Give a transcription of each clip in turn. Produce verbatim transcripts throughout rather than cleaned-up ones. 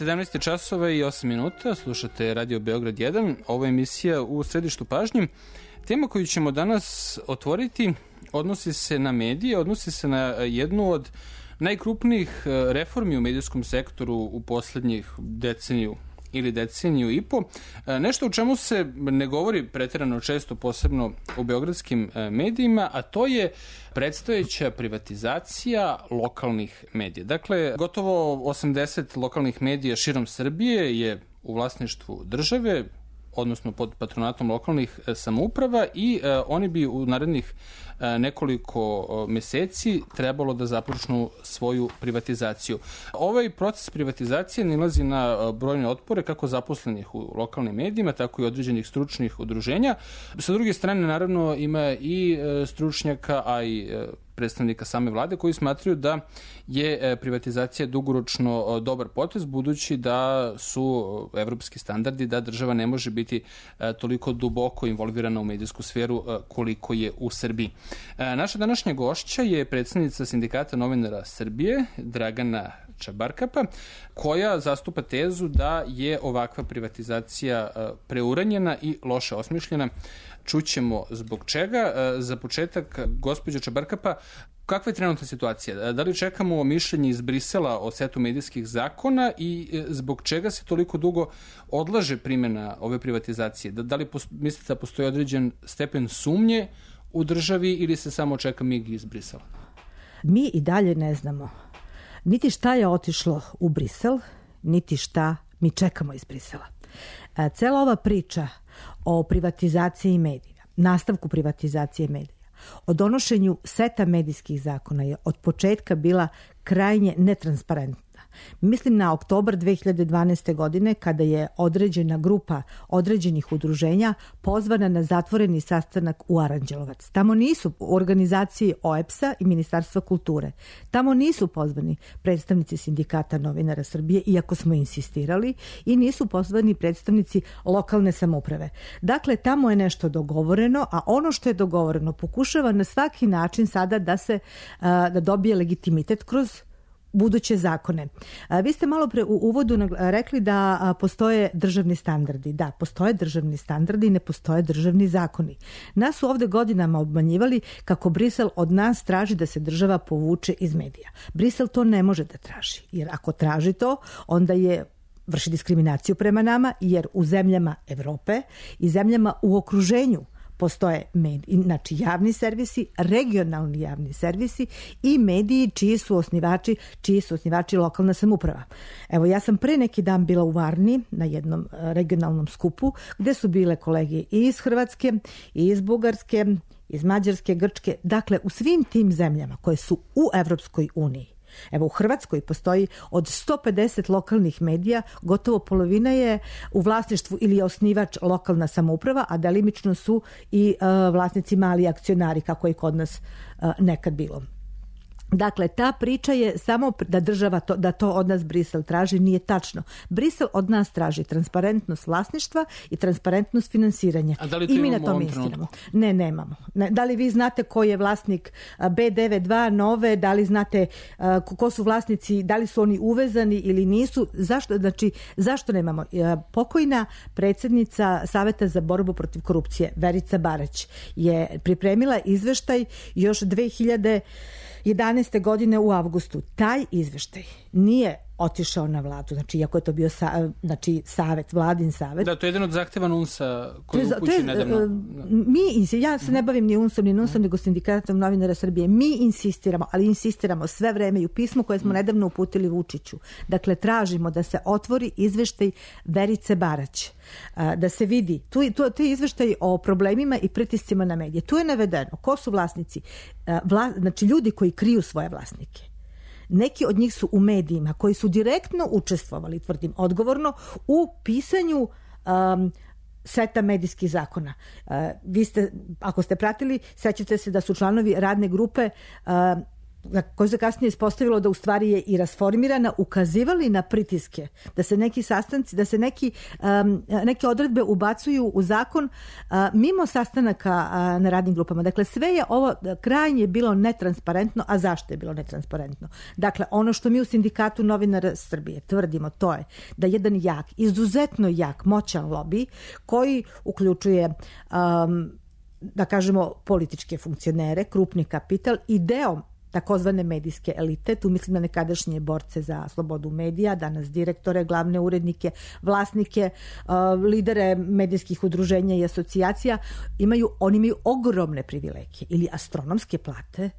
sedamnaest časova i osam minuta, slušate Radio Beograd jedan, ovo je emisija U središtu pažnje. Tema koju ćemo danas otvoriti odnosi se na medije, odnosi se na jednu od najkrupnijih reformi u medijskom sektoru u poslednjih deceniju ili deceniju i po. Nešto o čemu se ne govori pretjerano često, posebno u beogradskim medijima, a to je predstojeća privatizacija lokalnih medija. Dakle, gotovo osamdeset lokalnih medija širom Srbije je u vlasništvu države, odnosno pod patronatom lokalnih samouprava i e, oni bi u narednih e, nekoliko meseci trebalo da započnu svoju privatizaciju. Ovaj proces privatizacije nilazi na brojne otpore kako zaposlenih u lokalnim medijima, tako i određenih stručnih udruženja. Sa druge strane, naravno, ima i e, stručnjaka, a i e, predstavnika same vlade koji smatraju da je privatizacija dugoročno dobar potez, budući da su evropski standardi da država ne može biti toliko duboko involvirana u medijsku sferu koliko je u Srbiji. Naša današnja gošća je predsednica Sindikata novinara Srbije, Dragana Čabarkapa, koja zastupa tezu da je ovakva privatizacija preuranjena i loše osmišljena. Čućemo zbog čega. Za početak, gospođo Čabarkapa, kakva je trenutna situacija? Da li čekamo mišljenje iz Brisela o setu medijskih zakona i zbog čega se toliko dugo odlaže primjena ove privatizacije? Da, da li mislite da postoji određen stepen sumnje u državi ili se samo čeka mig iz Brisela? Mi i dalje ne znamo niti šta je otišlo u Brisel, niti šta mi čekamo iz Brisela. Cela ova priča o privatizaciji medija, nastavku privatizacije medija, o donošenju seta medijskih zakona je od početka bila krajnje netransparentna. Mislim na oktobar dve hiljade dvanaeste. godine kada je određena grupa određenih udruženja pozvana na zatvoreni sastanak u Aranđelovac. Tamo nisu u organizaciji O E P S-a i Ministarstva kulture. Tamo nisu pozvani predstavnici Sindikata novinara Srbije, iako smo insistirali, i nisu pozvani predstavnici lokalne samouprave. Dakle, tamo je nešto dogovoreno, a ono što je dogovoreno pokušava na svaki način sada da se da dobije legitimitet kroz buduće zakone. Vi ste malo pre u uvodu rekli da postoje državni standardi. Da, postoje državni standardi i ne postoje državni zakoni. Nas su ovde godinama obmanjivali kako Brisel od nas traži da se država povuče iz medija. Brisel to ne može da traži, jer ako traži to, onda je vrši diskriminaciju prema nama, jer u zemljama Evrope i zemljama u okruženju postoje mediji, znači javni servisi, regionalni javni servisi i mediji čiji su osnivači, čiji su osnivači lokalna samouprava. Evo, ja sam pre neki dan bila u Varni na jednom regionalnom skupu gde su bile kolege i iz Hrvatske, i iz Bugarske, iz Mađarske, Grčke, dakle u svim tim zemljama koje su u Evropskoj uniji. Evo, u Hrvatskoj postoji od sto pedeset lokalnih medija, gotovo polovina je u vlasništvu ili je osnivač lokalna samouprava, a delimično su i uh, vlasnici mali akcionari, kako je kod nas uh, nekad bilo. Dakle, ta priča je samo da država to, da to od nas Brisel traži, nije tačno. Brisel od nas traži transparentnost vlasništva i transparentnost finansiranja. A da li to i mi imamo na tome insistiramo. Ne, nemamo. Ne, da li vi znate ko je vlasnik B devedeset dva Nove, da li znate uh, ko su vlasnici, da li su oni uvezani ili nisu? Zašto, znači, zašto nemamo? Uh, pokojna predsjednica Saveta za borbu protiv korupcije, Verica Barać, je pripremila izveštaj još dve hiljade jedanaeste. godine u avgustu. Taj izveštaj nije otišao na vladu, znači iako je to bio sa, znači savet, vladin savet. Da, to je jedan od zahteva N U N S-a koji upući nedavno. Mi, ja se ne bavim ni N U N S-om, ni N U N S-om, nego Sindikatom novinara Srbije. Mi insistiramo, ali insistiramo sve vreme i u pismu koje smo nedavno uputili Vučiću. Dakle, tražimo da se otvori izveštaj Verice Barać, da se vidi, tu, tu, tu je izveštaj o problemima i pritiscima na medije. Tu je navedeno ko su vlasnici, vla, znači ljudi koji kriju svoje vlasnike. Neki od njih su u medijima koji su direktno učestvovali, tvrdim odgovorno, u pisanju um, seta medijskih zakona. Uh, vi ste, ako ste pratili, sećate se da su članovi radne grupe uh, koje se kasnije ispostavilo da u stvari je i rasformirana, ukazivali na pritiske, da se neki sastanci, da se neki, um, neke odredbe ubacuju u zakon uh, mimo sastanaka uh, na radnim grupama. Dakle, sve je ovo krajnje bilo netransparentno, a zašto je bilo netransparentno? Dakle, ono što mi u Sindikatu novinara Srbije tvrdimo, to je da jedan jak, izuzetno jak, moćan lobby koji uključuje um, da kažemo političke funkcionere, krupni kapital i deo takozvane medijske elite, tu mislim na nekadašnje borce za slobodu medija, danas direktore, glavne urednike, vlasnike, uh, lidere medijskih udruženja i asocijacija, imaju, oni imaju ogromne privilegije ili astronomske plate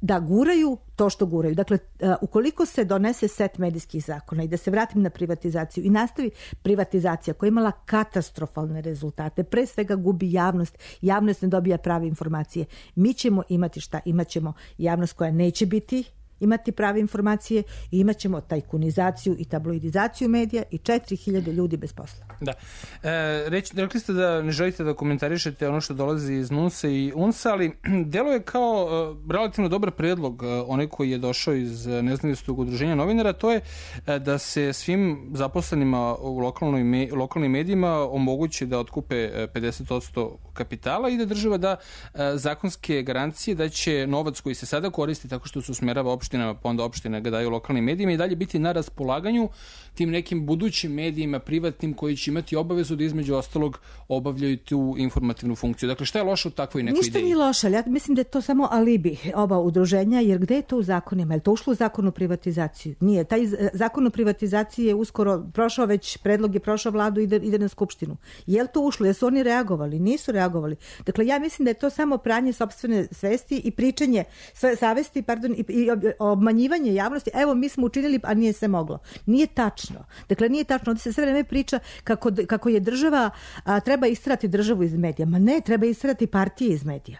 da guraju to što guraju. Dakle, ukoliko se donese set medijskih zakona i da se vratim na privatizaciju i nastavi privatizacija koja je imala katastrofalne rezultate, pre svega gubi javnost, javnost ne dobija prave informacije, mi ćemo imati šta? Imaćemo javnost koja neće biti imati prave informacije i imat ćemo tajkunizaciju i tabloidizaciju medija i četiri hiljade ljudi bez posla. Da. E, reći, rekli ste da ne želite da komentarišete ono što dolazi iz NUNS-a i UNS-a, ali deluje kao e, relativno dobar predlog, e, onaj koji je došao iz nezavisnog udruženja novinara, to je e, da se svim zaposlenima u lokalnoj me, lokalnim medijima omogući da otkupe pedeset posto kapitala i da država da e, zakonske garancije da će novac koji se sada koristi tako što se usmerava opštinama, pa onda opštine ga daju lokalnim medijima i dalje biti na raspolaganju tim nekim budućim medijima, privatnim, koji će imati obavezu da između ostalog obavljaju tu informativnu funkciju. Dakle, šta je loše u takvoj nekoj Ništa ideji? Ništa nije loše, ali ja mislim da je to samo alibi oba udruženja, jer gde je to u zakonima? Je li to ušlo u zakon o privatizaciju? Nije. Taj zakon o privatizaciji je uskoro prošao, već predlog je prošao vladu i ide, ide na skupštinu. Je li to ušlo? Jesu oni reagovali? Nisu reagovali. Dakle, ja mislim da je to samo pranje sopstvene svesti i pričanje sve savesti, pardon, i, i obmanjivanje javnosti. Evo, mi smo učinili, a nije se moglo. Nije tačno. Dakle, nije tačno. Ovdje se sve vreme priča kako, kako je država, a, treba istrati državu iz medija. Ma ne, treba istrati partije iz medija.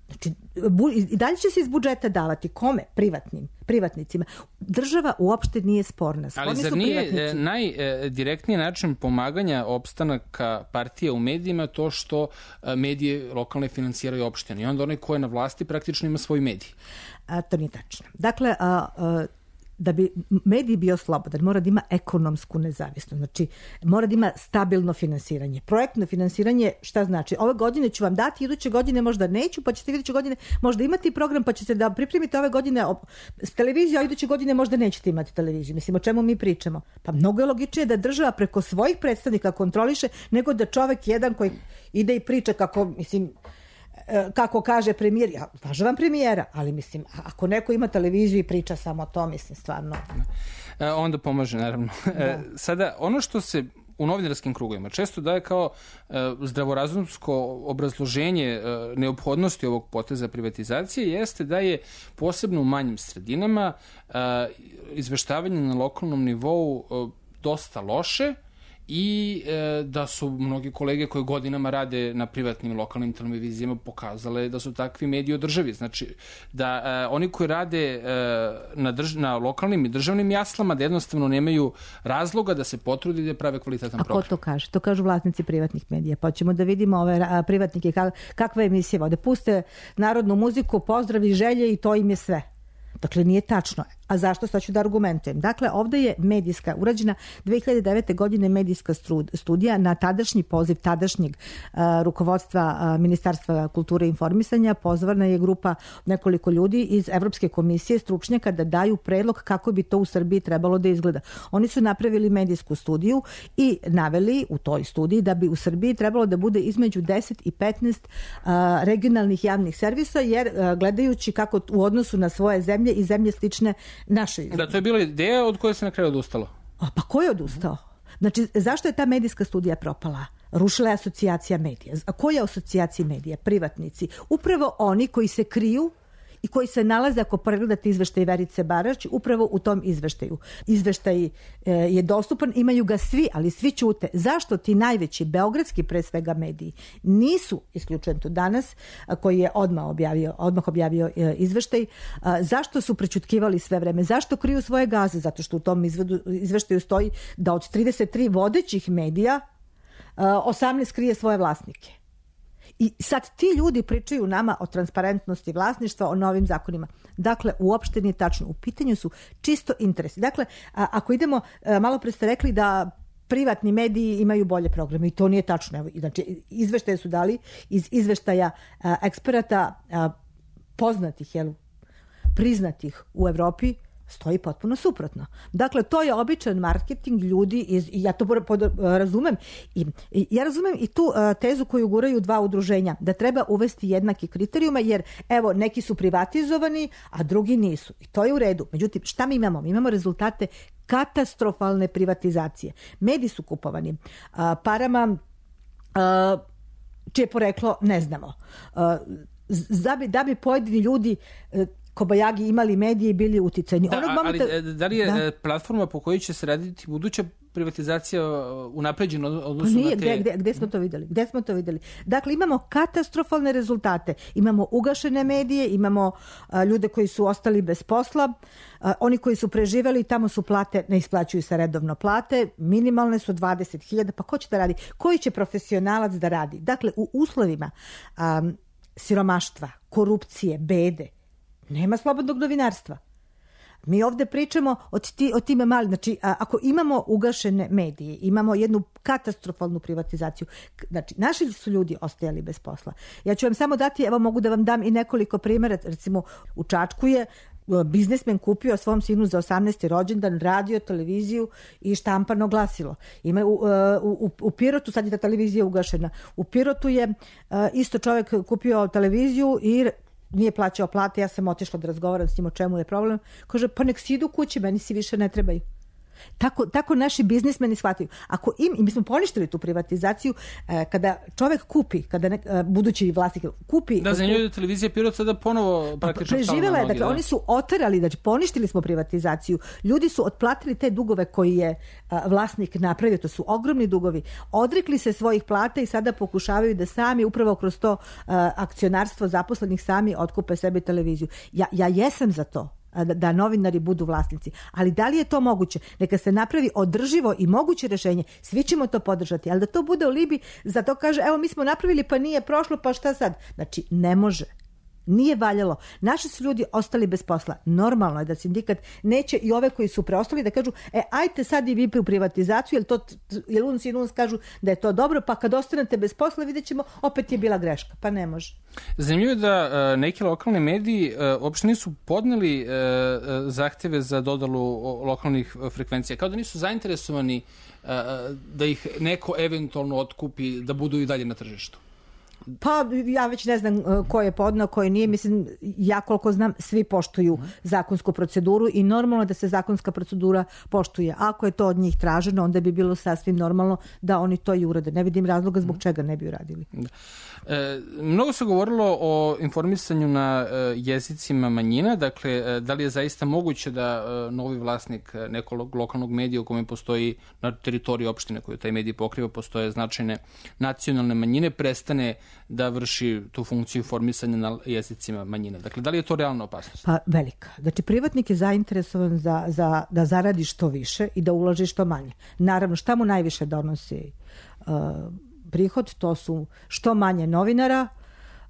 Znači, bu, i dalje će se iz budžeta davati. Kome? Privatnim. Privatnicima. Država uopšte nije sporna. Sporni Ali zar nije najdirektniji način pomaganja opstanaka partija u medijima to što medije lokalne finansiraju opštine i onda onaj ko je na vlasti praktično ima svoj medij? A, to nije tačno. Dakle, a, a, da bi medij bio slobodan, mora da ima ekonomsku nezavisnost. Znači, mora da ima stabilno finansiranje. Projektno finansiranje, šta znači? Ove godine ću vam dati, iduće godine možda neću, pa ćete iduće godine možda imati program, pa ćete da pripremite ove godine televiziju, a iduće godine možda nećete imati televiziju. Mislim, o čemu mi pričamo? Pa mnogo je logičnije da država preko svojih predstavnika kontroliše, nego da čovek jedan koji ide i priča kako, mislim, kako kaže premijer, ja uvažavam premijera, ali mislim, ako neko ima televiziju i priča samo to, mislim, stvarno. E, onda pomaže, naravno. E, sada, ono što se u novinarskim krugovima često daje kao e, zdravorazumsko obrazloženje e, neophodnosti ovog poteza privatizacije jeste da je posebno u manjim sredinama e, izveštavanje na lokalnom nivou e, dosta loše i e, da su mnogi kolege koji godinama rade na privatnim lokalnim televizijama pokazale da su takvi mediji održivi. Znači, da e, oni koji rade e, na, drž na lokalnim i državnim jaslama da jednostavno nemaju razloga da se potrude da prave kvalitetan program. A ko to kaže? To kažu vlasnici privatnih medija. Pa ćemo da vidimo ove a, privatnike kak, kakve emisije vode. Puste narodnu muziku, pozdravi, želje i to im je sve. Dakle, nije tačno. A zašto? Sad ću da argumentujem. Dakle, ovdje je medijska, urađena dve hiljade devete. godine medijska studija na tadašnji poziv tadašnjeg uh, rukovodstva uh, Ministarstva kulture i informisanja. Pozvana je grupa nekoliko ljudi iz Evropske komisije stručnjaka da daju predlog kako bi to u Srbiji trebalo da izgleda. Oni su napravili medijsku studiju i naveli u toj studiji da bi u Srbiji trebalo da bude između deset i petnaest uh, regionalnih javnih servisa, jer uh, gledajući kako u odnosu na svoje zemlje i zemlje slične našoj. Da, to je bila ideja od koje se na kraju odustalo. A pa ko je odustao? Znači, zašto je ta medijska studija propala? Rušila je asocijacija medija. A koja je asocijacija medija? Privatnici. Upravo oni koji se kriju i koji se nalaze, ako pregledate izveštaj Verice Barać, upravo u tom izveštaju. Izveštaj e, je dostupan, imaju ga svi, ali svi ćute. Zašto ti najveći beogradski pre svega mediji nisu, isključen tu danas, a, koji je odmah objavio, odmah objavio e, izveštaj, a, zašto su prećutkivali sve vreme? Zašto kriju svoje gaze? Zato što u tom izvedu, izveštaju stoji da od trideset tri vodećih medija a, osamnaest krije svoje vlasnike. I sad ti ljudi pričaju nama o transparentnosti vlasništva, o novim zakonima. Dakle, uopšte nije tačno. U pitanju su čisto interesi. Dakle, a, ako idemo, a, malo pre ste rekli da privatni mediji imaju bolje programe i to nije tačno. Evo, znači, izveštaje su dali iz izveštaja a, eksperata a, poznatih, jel, priznatih u Evropi, stoji potpuno suprotno. Dakle, to je običan marketing ljudi iz, i ja to pod, razumem. I, i, ja razumem i tu uh, tezu koju guraju dva udruženja, da treba uvesti jednake kriterijume, jer evo, neki su privatizovani, a drugi nisu. I to je u redu. Međutim, šta mi imamo? Mi imamo rezultate katastrofalne privatizacije. Mediji su kupovani uh, parama uh, čije poreklo ne znamo. Uh, da, bi, da bi pojedini ljudi uh, kobajagi imali medije i bili uticajni. Da, Onog momenta, ali da li je da. platforma po kojoj će se raditi buduća privatizacija unapređena odnosno nije, na te... Gde, gde, gde smo to videli? Gde smo to videli? Dakle, imamo katastrofalne rezultate. Imamo ugašene medije, imamo a, ljude koji su ostali bez posla, a, oni koji su preživeli, tamo su plate, ne isplaćuju se redovno plate, minimalne su dvadeset hiljada, pa ko će da radi? Koji će profesionalac da radi? Dakle, u uslovima a, siromaštva, korupcije, bede, nema slobodnog novinarstva. Mi ovde pričamo o, ti, o time mali. Znači, a, ako imamo ugašene medije, imamo jednu katastrofalnu privatizaciju, znači, naši su ljudi ostajali bez posla. Ja ću vam samo dati, evo mogu da vam dam i nekoliko primjera. Recimo, u Čačku je biznismen kupio svom sinu za osamnaesti rođendan radio, televiziju i štampano glasilo. Ima u, u, u Pirotu, sad je ta televizija ugašena, u Pirotu je isto čovjek kupio televiziju i nije plaćao plate, ja sam otišla da razgovaram s njim o čemu je problem. Kaže, pa nek si idu kući, meni si više ne trebaju. Tako, tako naši biznismeni shvataju. Ako im, i mi smo poništili tu privatizaciju, eh, kada čovjek kupi, kada ne, eh, budući vlasnik kupi... Da, za nju je televizija Pirot sada ponovo praktično preživjela je, dakle, da. Oni su oterali, znači poništili smo privatizaciju. Ljudi su otplatili te dugove koji je eh, vlasnik napravio, to su ogromni dugovi. Odrekli se svojih plata i sada pokušavaju da sami, upravo kroz to eh, akcionarstvo zaposlenih, sami otkupe sebi televiziju. Ja, ja jesam za to. Da, da novinari budu vlasnici. Ali da li je to moguće? Neka se napravi održivo i moguće rješenje. Svi ćemo to podržati, ali da to bude u libi, za to kaže, evo mi smo napravili pa nije prošlo, pa šta sad? Znači, ne može. Nije valjalo. Naši su ljudi ostali bez posla. Normalno je da sindikat neće i ove koji su preostali da kažu, e, ajte sad i vi u privatizaciju, jer, to, jer uns i uns kažu da je to dobro, pa kad ostanete bez posla vidjet ćemo, opet je bila greška. Pa ne može. Zanimljivo je da uh, neki lokalni mediji uh, uopšte nisu podneli uh, zahteve za dodalu lokalnih frekvencija. Kao da nisu zainteresovani uh, da ih neko eventualno otkupi, da budu i dalje na tržištu. Pa ja već ne znam ko je podneo, ko je nije. Mislim, ja koliko znam, svi poštuju zakonsku proceduru i normalno je da se zakonska procedura poštuje. Ako je to od njih traženo, onda bi bilo sasvim normalno da oni to i urade. Ne vidim razloga zbog čega ne bi uradili. Da. E, mnogo se govorilo o informisanju na e, jezicima manjina. Dakle, e, da li je zaista moguće da e, novi vlasnik nekog lokalnog medija u kome postoji na teritoriji opštine koju taj medij pokriva, postoje značajne nacionalne manjine, prestane da vrši tu funkciju informisanja na jezicima manjina. Dakle, da li je to realna opasnost? Pa velika. Znači, privatnik je zainteresovan za, za, da zaradi što više i da uloži što manje. Naravno, šta mu najviše donosi uh, prihod? To su što manje novinara,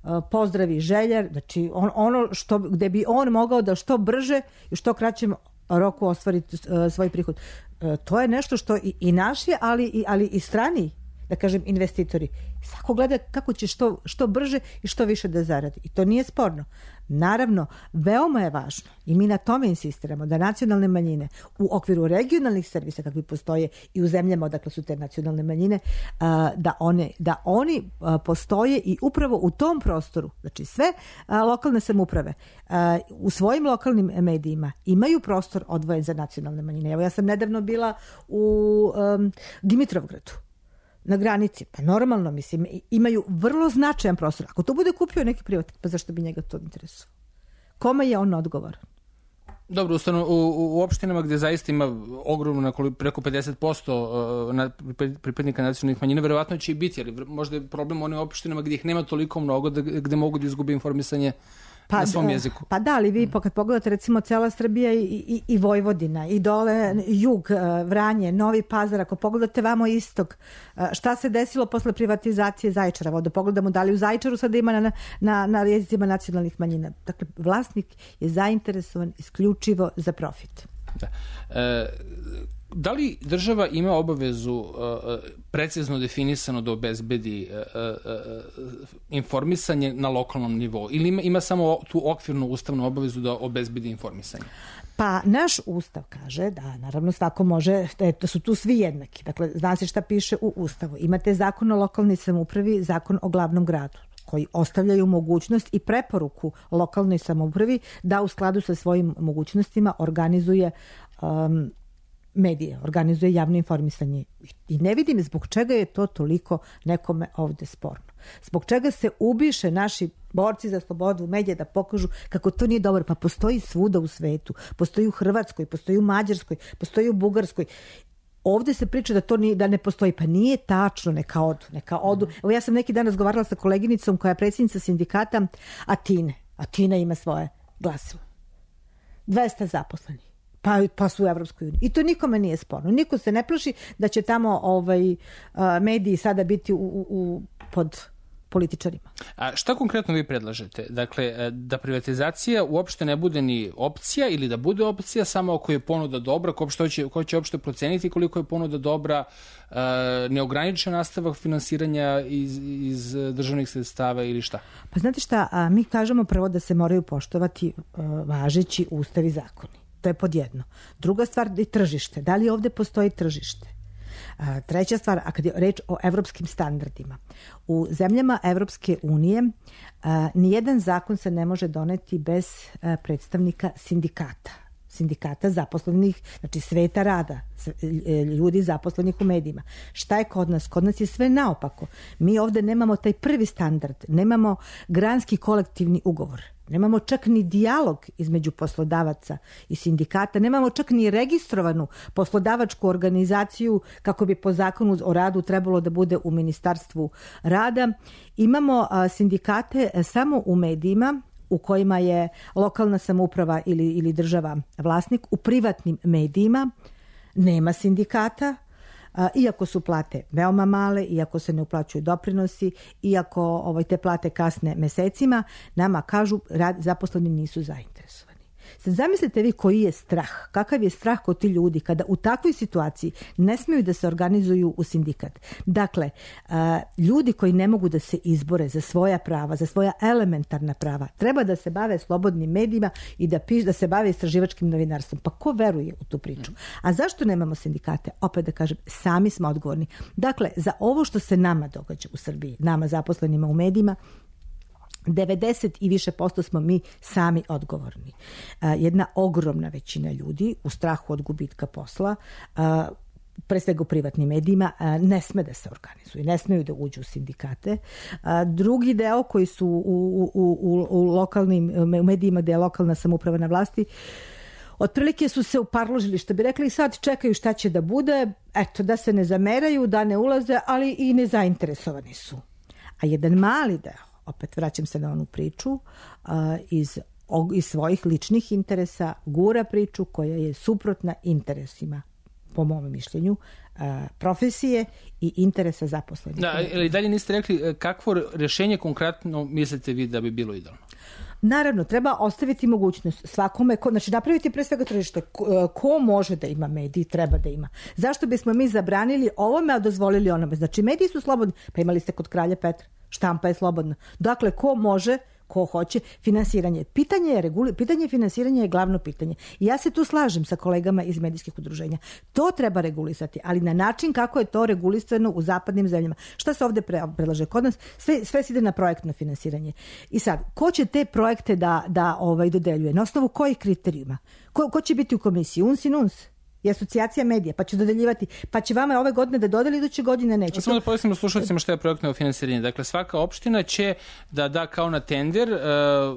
uh, pozdravi željer, znači on, ono što, gde bi on mogao da što brže i što kraćem roku ostvariti uh, svoj prihod. Uh, to je nešto što i, i naši, ali i, ali i strani, da kažem, investitori. Svako gleda kako će što, što brže i što više da zaradi. I to nije sporno. Naravno, veoma je važno i mi na tome insistiramo da nacionalne manjine u okviru regionalnih servisa kakvi postoje i u zemljama odakle su te nacionalne manjine, da, one, da oni postoje i upravo u tom prostoru, znači sve lokalne samouprave u svojim lokalnim medijima imaju prostor odvojen za nacionalne manjine. Evo, ja sam nedavno bila u um, Dimitrovgradu, na granici. Pa normalno, mislim, imaju vrlo značajan prostor. Ako to bude kupio neki privatnik, pa zašto bi njega to interesovalo? Kome je on odgovoran? Dobro, ustano, u, u opštinama gde zaista ima ogromno, preko pedeset posto na, pripadnika nacionalnih manjina, verovatno će i biti, ali možda je problem u onim opštinama gde ih nema toliko mnogo, da, gde mogu da izgube informisanje pa, na svom jeziku. Pa da, ali vi mm. kad pogledate recimo cela Srbija i, i, i Vojvodina i dole jug, Vranje, Novi Pazar, ako pogledate vamo istok, šta se desilo posle privatizacije Zaječara? Voda pogledamo da li u Zaječaru sada ima na, na, na jezicima nacionalnih manjina. Dakle, vlasnik je zainteresovan isključivo za profit. Da. E, da li država ima obavezu uh, precizno definisano da obezbedi uh, uh, informisanje na lokalnom nivou ili ima, ima samo tu okvirnu ustavnu obavezu da obezbedi informisanje? Pa naš ustav kaže da naravno svako može, da su tu svi jednaki. Dakle, zna se šta piše u ustavu. Imate zakon o lokalnoj samoupravi, zakon o glavnom gradu, koji ostavljaju mogućnost i preporuku lokalnoj samoupravi da u skladu sa svojim mogućnostima organizuje um, medije, organizuje javno informisanje. I ne vidim zbog čega je to toliko nekome ovde sporno. Zbog čega se ubiše naši borci za slobodu medija da pokažu kako to nije dobro. Pa postoji svuda u svetu. Postoji u Hrvatskoj, postoji u Mađarskoj, postoji u Bugarskoj. Ovde se priča da to nije, da ne postoji. Pa nije tačno, neka odu. Neka odu. Evo ja sam neki dan razgovarala sa koleginicom koja je predsjednica sindikata Atine. Atina ima svoje glasilo. dvesta zaposlenih. Pa, pa su u Evropskoj uniji. I to nikome nije sporno. Niko se ne plaši da će tamo ovaj, mediji sada biti u, u, u, pod političarima. A šta konkretno vi predlažete? Dakle, da privatizacija uopšte ne bude ni opcija ili da bude opcija samo ako je ponuda dobra, ko, će, ko će uopšte proceniti koliko je ponuda dobra, neograničen nastavak finansiranja iz, iz državnih sredstava ili šta? Pa znate šta, mi kažemo prvo da se moraju poštovati važeći ustav i zakoni. To je pod jedno. Druga stvar je tržište. Da li ovde postoji tržište? A, treća stvar, a kad je reč o evropskim standardima. U zemljama Evropske unije a, nijedan zakon se ne može doneti bez a, predstavnika sindikata. Sindikata zaposlenih, znači sveta rada, ljudi zaposlenih u medijima. Šta je kod nas? Kod nas je sve naopako. Mi ovde nemamo taj prvi standard, nemamo granski kolektivni ugovor. Nemamo čak ni dijalog između poslodavaca i sindikata, nemamo čak ni registrovanu poslodavačku organizaciju kako bi po zakonu o radu trebalo da bude u Ministarstvu rada. Imamo sindikate samo u medijima u kojima je lokalna samouprava ili, ili država vlasnik. U privatnim medijima nema sindikata, iako su plate veoma male, iako se ne uplaćuju doprinosi, iako ovaj, te plate kasne mesecima, nama kažu rad, zaposleni nisu zainteresovani. Sad zamislite vi koji je strah, kakav je strah kod ti ljudi kada u takvoj situaciji ne smiju da se organizuju u sindikat. Dakle, ljudi koji ne mogu da se izbore za svoja prava, za svoja elementarna prava, treba da se bave slobodnim medijima i da, piš, da se bave istraživačkim novinarstvom. Pa ko veruje u tu priču? A zašto nemamo sindikate? Opet da kažem, sami smo odgovorni. Dakle, za ovo što se nama događa u Srbiji, nama zaposlenima u medijima, devedeset i više posto smo mi sami odgovorni. Jedna ogromna većina ljudi u strahu od gubitka posla, pre svega u privatnim medijima, ne sme da se organizuju, ne smeju da uđu u sindikate. Drugi deo koji su u, u, u, u lokalnim u medijima gde je lokalna samouprava na vlasti, otprilike su se uparložili, što bi rekli, sad čekaju šta će da bude, eto, da se ne zameraju, da ne ulaze, ali i nezainteresovani su. A jedan mali deo, opet vraćam se na onu priču, iz, iz svojih ličnih interesa gura priču koja je suprotna interesima, po mom mišljenju, profesije i interesa zaposlenih. Da, ali dalje niste rekli kakvo rješenje konkretno mislite vi da bi bilo idealno? Naravno, treba ostaviti mogućnost svakome, ko, znači napraviti pre svega tržište, ko, ko može da ima mediji, treba da ima. Zašto bismo mi zabranili ovome, a dozvolili onome? Znači, mediji su slobodni, pa imali ste kod kralja Petra, štampa je slobodna. Dakle, ko može, ko hoće, finansiranje. Pitanje je reguli, pitanje finansiranja je glavno pitanje. I ja se tu slažem sa kolegama iz medijskih udruženja. To treba regulisati, ali na način kako je to regulisano u zapadnim zemljama. Šta se ovde predlaže kod nas? Sve, sve se ide na projektno finansiranje. I sad, ko će te projekte da, da ovaj, dodeljuje? Na osnovu kojih kriterijuma? Ko, ko će biti u komisiji? Uns in uns? I asocijacija medija, pa će dodeljivati, pa će vama ove godine da dodeli, iduće godine neće. Samo da pojasnimo slušalcima šta je projektno finansiranje. Dakle, svaka opština će da da kao na tender uh,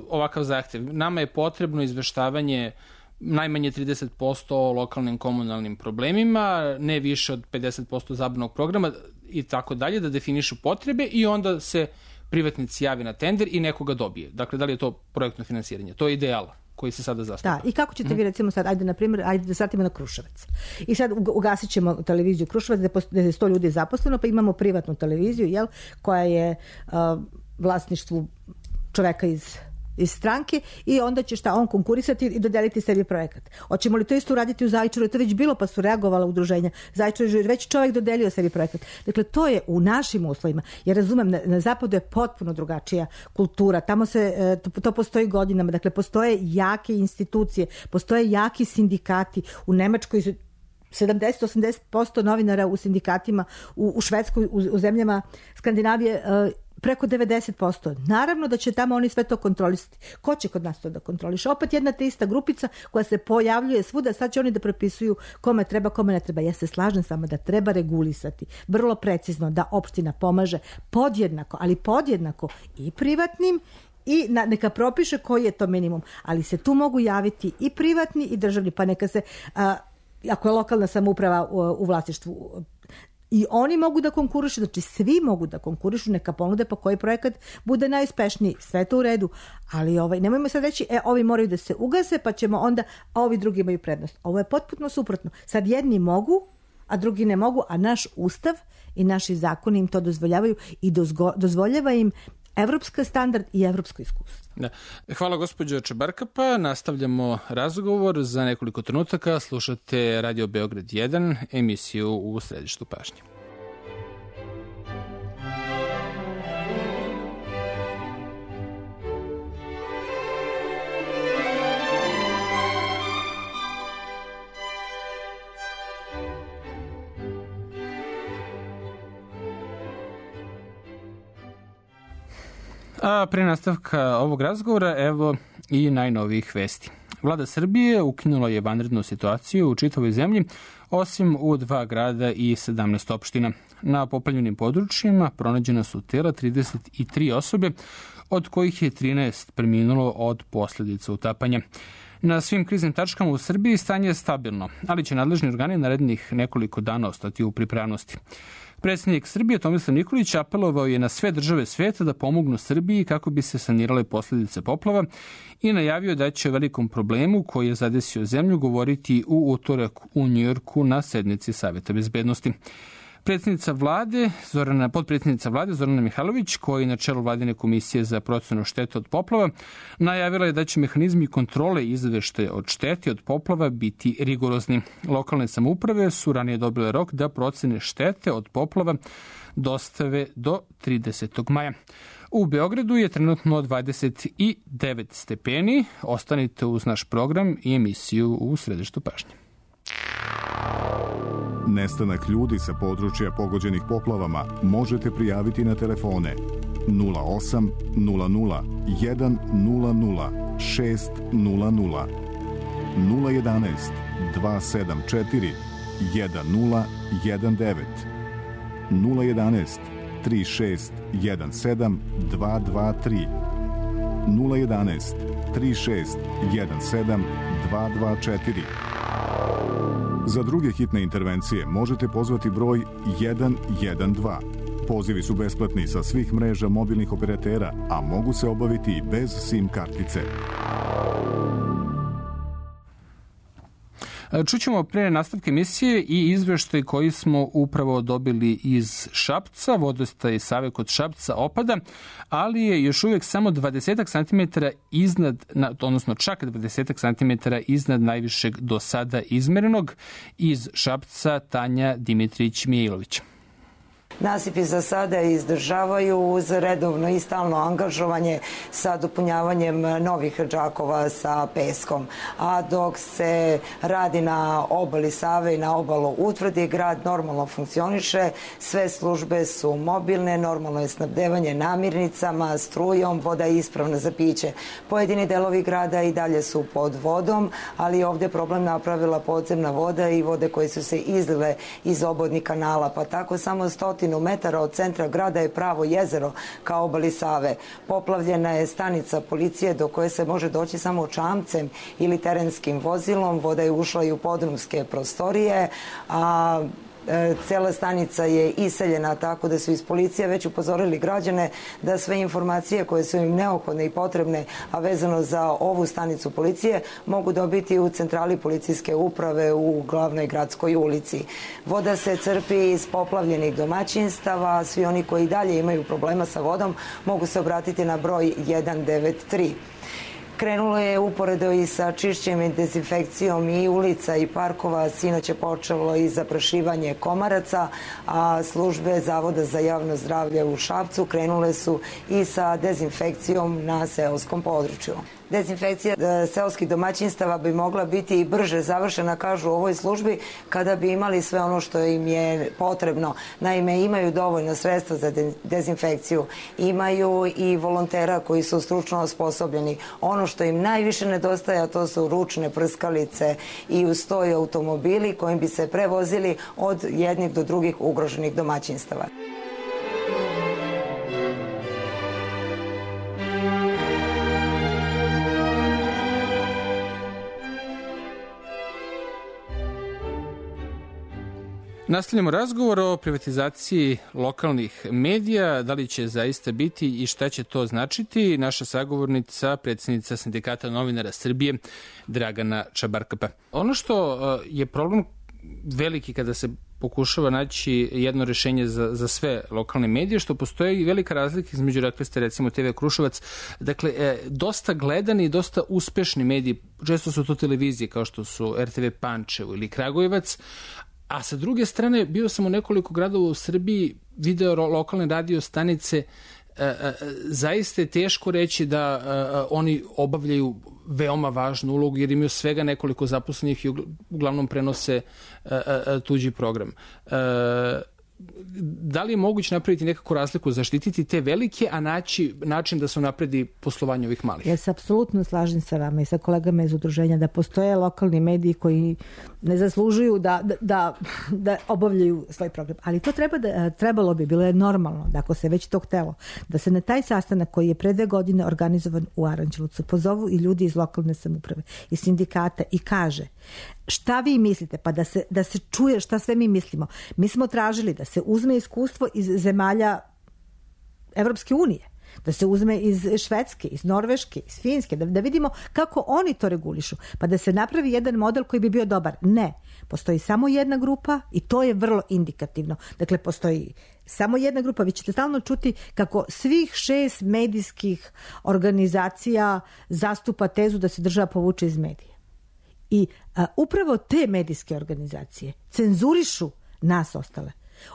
ovakav zahtev. Nama je potrebno izveštavanje najmanje trideset posto o lokalnim komunalnim problemima, ne više od pedeset posto zabavnog programa i tako dalje, da definišu potrebe i onda se privatnici javi na tender i nekoga dobije. Dakle, da li je to projektno finansiranje? To je ideal koji se sada zastupa. Da, i kako ćete vi recimo sad, ajde na primjer, ajde da satimo na Kruševac. I sad ugasit ćemo televiziju Kruševac gde je sto ljudi zaposleno, pa imamo privatnu televiziju, jel, koja je uh, vlasništvu čoveka iz iz stranke i onda će šta on konkurisati i dodeliti sebi projekat. Hoćemo li to isto uraditi u Zaječaru? To već bilo pa su reagovala udruženja. Zaječar je već čovjek dodelio sebi projekat. Dakle, to je u našim uslovima. Ja razumem, na, na zapadu je potpuno drugačija kultura. Tamo se, to, to postoji godinama. Dakle, postoje jake institucije, postoje jaki sindikati. U Nemačkoj sedamdeset do osamdeset posto novinara u sindikatima, u, u Švedskoj, u, u zemljama Skandinavije, preko devedeset posto. Naravno da će tamo oni sve to kontrolisati. Ko će kod nas to da kontroliše? Opet jedna te ista grupica koja se pojavljuje svuda, sad će oni da propisuju kome treba, kome ne treba. Ja se slažem s vama da treba regulisati vrlo precizno, da opština pomaže podjednako, ali podjednako i privatnim i na, neka propiše koji je to minimum. Ali se tu mogu javiti i privatni i državni, pa neka se, a, ako je lokalna samouprava u, u vlasništvu, i oni mogu da konkurišu, znači svi mogu da konkurišu, neka ponude pa koji projekat bude najuspešniji, sve to u redu, ali ovaj, nemojmo sad reći, e, ovi moraju da se ugase, pa ćemo onda, a ovi drugi imaju prednost. Ovo je potpuno suprotno. Sad jedni mogu, a drugi ne mogu, a naš ustav i naši zakoni im to dozvoljavaju i dozgo, dozvoljava im evropski standard i evropsko iskustvo. Da. Hvala gospođo Čebarkapa. Nastavljamo razgovor za nekoliko trenutaka. Slušate Radio Beograd jedan, emisiju u središtu pažnje. A pre nastavka ovog razgovora, evo i najnovijih vesti. Vlada Srbije ukinula je vanrednu situaciju u čitavoj zemlji, osim u dva grada i sedamnaest opština. Na poplavljenim područjima pronađena su tela trideset tri osobe, od kojih je trinaest preminulo od posljedica utapanja. Na svim kriznim tačkama u Srbiji stanje je stabilno, ali će nadležni organi narednih nekoliko dana ostati u pripravnosti. Predsjednik Srbije Tomislav Nikolić apelovao je na sve države sveta da pomognu Srbiji kako bi se sanirale posljedice poplava i najavio da će o velikom problemu koji je zadesio zemlju govoriti u utorak u Njujorku na sednici Saveta bezbednosti. Predsjednica vlade, Zorana, potpredsjednica vlade Zorana Mihajlović, koja je na čelu vladine komisije za procenu štete od poplava, najavila je da će mehanizmi kontrole izveštaja od štete od poplava biti rigorozni. Lokalne samouprave su ranije dobile rok da procene štete od poplava dostave do tridesetog maja. U Beogradu je trenutno dvadeset devet stepeni. Ostanite uz naš program i emisiju u središtu pažnje. Nestanak ljudi sa područja pogođenih poplavama možete prijaviti na telefone nula osam nula nula jedan nula nula šest nula nula, nula jedanaest dva sedam četiri jedan nula jedan devet, nula jedanaest tri šest jedan sedam dva dva tri, nula jedanaest tri šest jedan sedam dva dva četiri. Za druge hitne intervencije možete pozvati broj jedan jedan dva. Pozivi su besplatni sa svih mreža mobilnih operatera, a mogu se obaviti i bez SIM kartice. Čućemo pre nastavke emisije i izveštaj koji smo upravo dobili iz Šapca. Vodostaj Save kod Šapca opada, ali je još uvijek samo dvadeset centimetara iznad, odnosno čak dvadeset centimetara iznad najvišeg do sada izmerenog. Iz Šapca Tanja Dimitrić-Mijailović. Nasipi za sada izdržavaju uz redovno i stalno angažovanje sa dopunjavanjem novih džakova sa peskom. A dok se radi na obali Save i na obalu Utvrdi, grad normalno funkcioniše, sve službe su mobilne, normalno je snabdevanje namirnicama, strujom, voda je ispravna za piće. Pojedini delovi grada i dalje su pod vodom, ali ovdje problem napravila podzemna voda i vode koje su se izlile iz obodnih kanala, pa tako samo stotinu metara od centra grada je pravo jezero ka obali Save. Poplavljena je stanica policije do koje se može doći samo čamcem ili terenskim vozilom. Voda je ušla i u podrumske prostorije, a Cela stanica je iseljena, tako da su iz policije već upozorili građane da sve informacije koje su im neophodne i potrebne, a vezano za ovu stanicu policije, mogu dobiti u centrali policijske uprave u glavnoj gradskoj ulici. Voda se crpi iz poplavljenih domaćinstava, svi oni koji dalje imaju problema sa vodom mogu se obratiti na broj jedan devet tri. Krenulo je uporedo i sa čišćenjem i dezinfekcijom i ulica i parkova. Sinoć je počelo i zaprašivanje komaraca, a službe Zavoda za javno zdravlje u Šapcu krenule su i sa dezinfekcijom na seoskom području. Dezinfekcija seoskih domaćinstava bi mogla biti i brže završena, kažu u ovoj službi, kada bi imali sve ono što im je potrebno. Naime, imaju dovoljno sredstva za dezinfekciju, imaju i volontera koji su stručno osposobljeni. Ono što im najviše nedostaje, a to su ručne prskalice i uz to i automobili kojim bi se prevozili od jednih do drugih ugroženih domaćinstava. Nastavljamo razgovor o privatizaciji lokalnih medija, da li će zaista biti i šta će to značiti. Naša sagovornica, predsjednica Sindikata novinara Srbije, Dragana Čabarkapa. Ono što je problem veliki kada se pokušava naći jedno rešenje za, za sve lokalne medije, što postoji velika razlika između, rekli ste, recimo te ve Kruševac, dakle, e, dosta gledani i dosta uspešni mediji, često su to televizije kao što su er te ve Pančevo ili Kragujevac, a sa druge strane, bio sam u nekoliko gradova u Srbiji, video lokalne radio stanice, e, e, zaista je teško reći da e, oni obavljaju veoma važnu ulogu, jer imaju svega nekoliko zaposlenih i uglavnom prenose e, e, tuđi program. E, da li je moguće napraviti nekakvu razliku, zaštititi te velike, a naći način da se napredi poslovanje ovih malih? Ja se apsolutno slažem sa vama i sa kolegama iz udruženja da postoje lokalni mediji koji ne zaslužuju da, da, da obavljaju svoj program. Ali to treba da, trebalo bi, bilo je normalno, da ako se već to htelo, da se na taj sastanak koji je pre dve godine organizovan u Aranđelovcu pozovu i ljudi iz lokalne samouprave, iz sindikata i kaže šta vi mislite, pa da se, da se čuje šta sve mi mislimo. Mi smo tražili da se uzme iskustvo iz zemalja Evropske unije, da se uzme iz Švedske, iz Norveške, iz Finske, da, da vidimo kako oni to regulišu, pa da se napravi jedan model koji bi bio dobar. Ne, postoji samo jedna grupa i to je vrlo indikativno. Dakle, postoji samo jedna grupa, vi ćete stalno čuti kako svih šest medijskih organizacija zastupa tezu da se država povuče iz medija. I a, upravo te medijske organizacije cenzurišu nas ostale.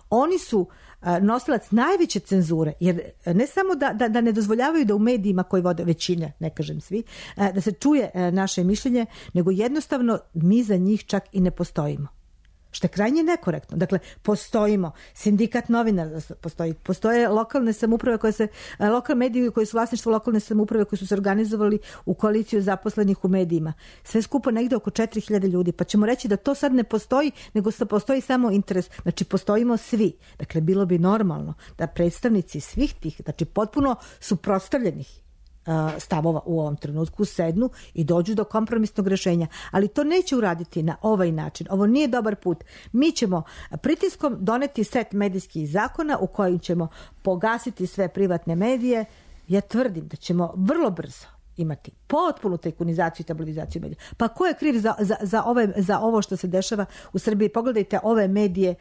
Oni su a, nosilac najveće cenzure, jer ne samo da, da, da ne dozvoljavaju da u medijima koji vode većina, ne kažem svi, a, da se čuje a, naše mišljenje, nego jednostavno mi za njih čak i ne postojimo. Što je krajnje nekorektno. Dakle, postojimo, sindikat novinara postoji, postoje lokalne samouprave koje se, lokalne medije koji su vlasništvo lokalne samouprave koji su se organizovali u koaliciju zaposlenih u medijima. Sve skupo negde oko četiri hiljade ljudi. Pa ćemo reći da to sad ne postoji, nego da postoji samo interes. Znači, postojimo svi. Dakle, bilo bi normalno da predstavnici svih tih, znači potpuno suprotstavljenih stavova u ovom trenutku sednu i dođu do kompromisnog rešenja. Ali to neće uraditi na ovaj način. Ovo nije dobar put. Mi ćemo pritiskom doneti set medijskih zakona u kojim ćemo pogasiti sve privatne medije. Ja tvrdim da ćemo vrlo brzo imati potpunu tajkunizaciju i tabloidizaciju medija. Pa ko je kriv za, za, za, ove, za ovo što se dešava u Srbiji? Pogledajte ove medije,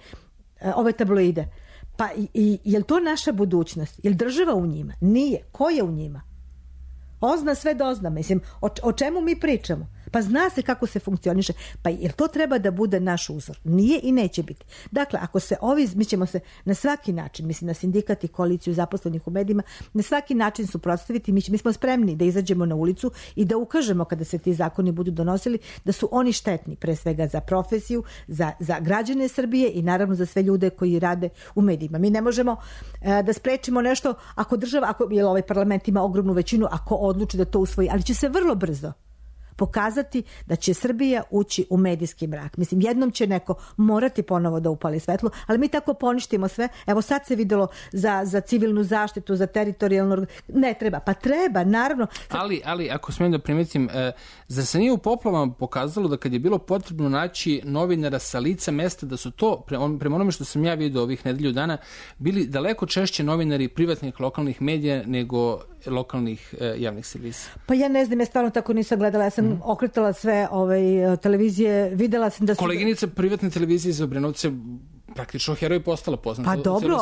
ove tabloide. Pa i, i, je li to naša budućnost? Je li država u njima? Nije. Ko je u njima? Ozna sve dozna, mislim, o, o čemu mi pričamo? Pa zna se kako se funkcioniše. Pa jer to treba da bude naš uzor? Nije i neće biti. Dakle, ako se ovi, mi ćemo se na svaki način, mislim na sindikat i koaliciju zaposlenih u medijima, na svaki način suprotstaviti. Mi, mi smo spremni da izađemo na ulicu i da ukažemo kada se ti zakoni budu donosili da su oni štetni, pre svega za profesiju, za, za građane Srbije i naravno za sve ljude koji rade u medijima. Mi ne možemo e, da sprečimo nešto ako država, ako jer ovaj parlament ima ogromnu većinu, ako odluči da to usvoji, ali će se vrlo brzo pokazati da će Srbija ući u medijski mrak. Mislim, jednom će neko morati ponovo da upali svetlo, ali mi tako poništimo sve. Evo sad se videlo za, za civilnu zaštitu, za teritorijalnu... Ne treba, pa treba, naravno. Ali, ali ako smijem da primetim, e, zar se nije u poplavama pokazalo da kad je bilo potrebno naći novinara sa lica mesta, da su to, prema onome što sam ja vidio ovih nedelju dana, bili daleko češće novinari privatnih lokalnih medija nego lokalnih e, javnih servisa? Pa ja ne znam, ja stvarno tako nisam gledala. Ja sam mm. okretala sve ovaj, televizije, videla sam da su... Koleginica privatne televizije iz Obrenovca praktično heroj postala poznata. Pa dobro,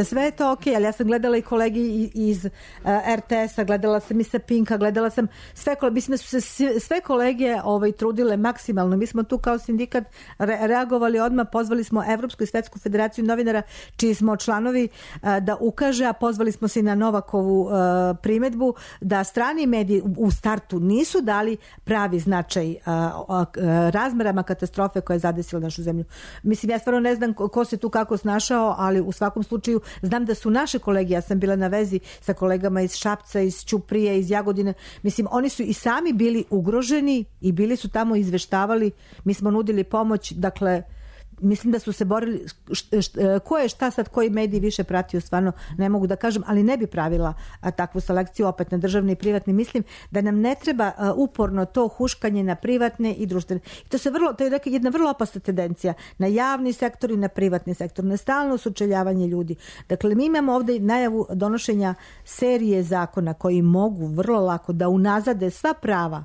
sve je to okej, ali ja sam gledala i kolegi iz er te es-a, gledala sam i sa Pinka, gledala sam sve, mislim da su se sve kolege ovaj, trudile maksimalno. Mi smo tu kao sindikat re- reagovali odmah, pozvali smo Evropsku i Svetsku federaciju novinara, čiji smo članovi, da ukaže, a pozvali smo se i na Novakovu primedbu, da strani mediji u startu nisu dali pravi značaj razmerama katastrofe koja je zadesila našu zemlju. Mislim, ja stvarno ne znam ko se tu kako snašao, ali u svakom slučaju znam da su naše kolege, ja sam bila na vezi sa kolegama iz Šapca, iz Ćuprije, iz Jagodine, mislim, oni su i sami bili ugroženi i bili su tamo izveštavali, mi smo nudili pomoć, dakle, mislim da su se borili, št, št, ko je šta sad, koji mediji više pratio, stvarno ne mogu da kažem, ali ne bi pravila a, takvu selekciju opet na državni i privatni. Mislim da nam ne treba a, uporno to huškanje na privatne i društvene. I to se vrlo, to je jedna vrlo opasna tendencija na javni sektor i na privatni sektor, na stalno sučeljavanje ljudi. Dakle, mi imamo ovdje najavu donošenja serije zakona koji mogu vrlo lako da unazade sva prava